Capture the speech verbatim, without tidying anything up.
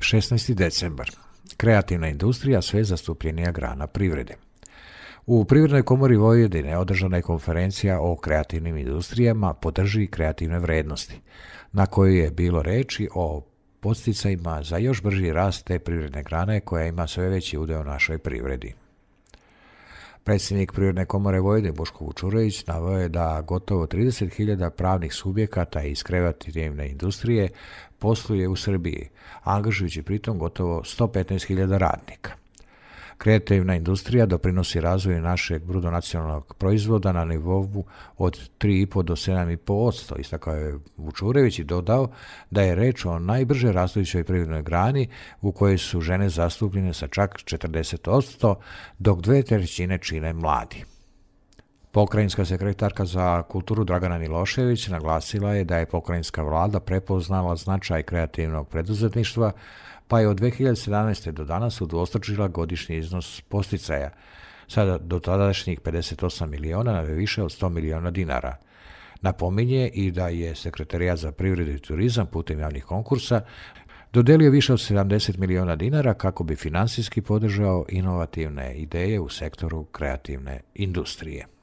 šesnaesti decembar. Kreativna industrija sve zastupljenija grana privrede. U Privrednoj komori Vojvodine održana je konferencija o kreativnim industrijama podrži kreativne vrednosti, na kojoj je bilo reči o podsticajima za još brži rast te privredne grane koja ima sve veći udeo u našoj privredi. Predsjednik Privredne komore Vojvodine Boško Vučurević naveo je da gotovo trideset hiljada pravnih subjekata iz kreativne industrije posluje u Srbiji, angažujući pritom gotovo sto petnaest hiljada radnika. Kreativna industrija doprinosi razvoju našeg bruto nacionalnog proizvoda na nivou od tri i po do sedam i po posto, istakao je Vučurević i dodao da je reč o najbrže rastućoj privrednoj grani u kojoj su žene zastupljene sa čak četrdeset posto, dok dve trećine čine mladi. Pokrajinska sekretarka za kulturu Dragana Milošević naglasila je da je pokrajinska vlada prepoznala značaj kreativnog preduzetništva, pa je od dve hiljade sedamnaeste. do danas udvostručila godišnji iznos podsticaja, sada do tadašnjih pedeset osam miliona na više od sto miliona dinara. Napominje i da je Sekretarijat za privredu i turizam putem javnih konkursa dodelio više od sedamdeset miliona dinara kako bi finansijski podržao inovativne ideje u sektoru kreativne industrije.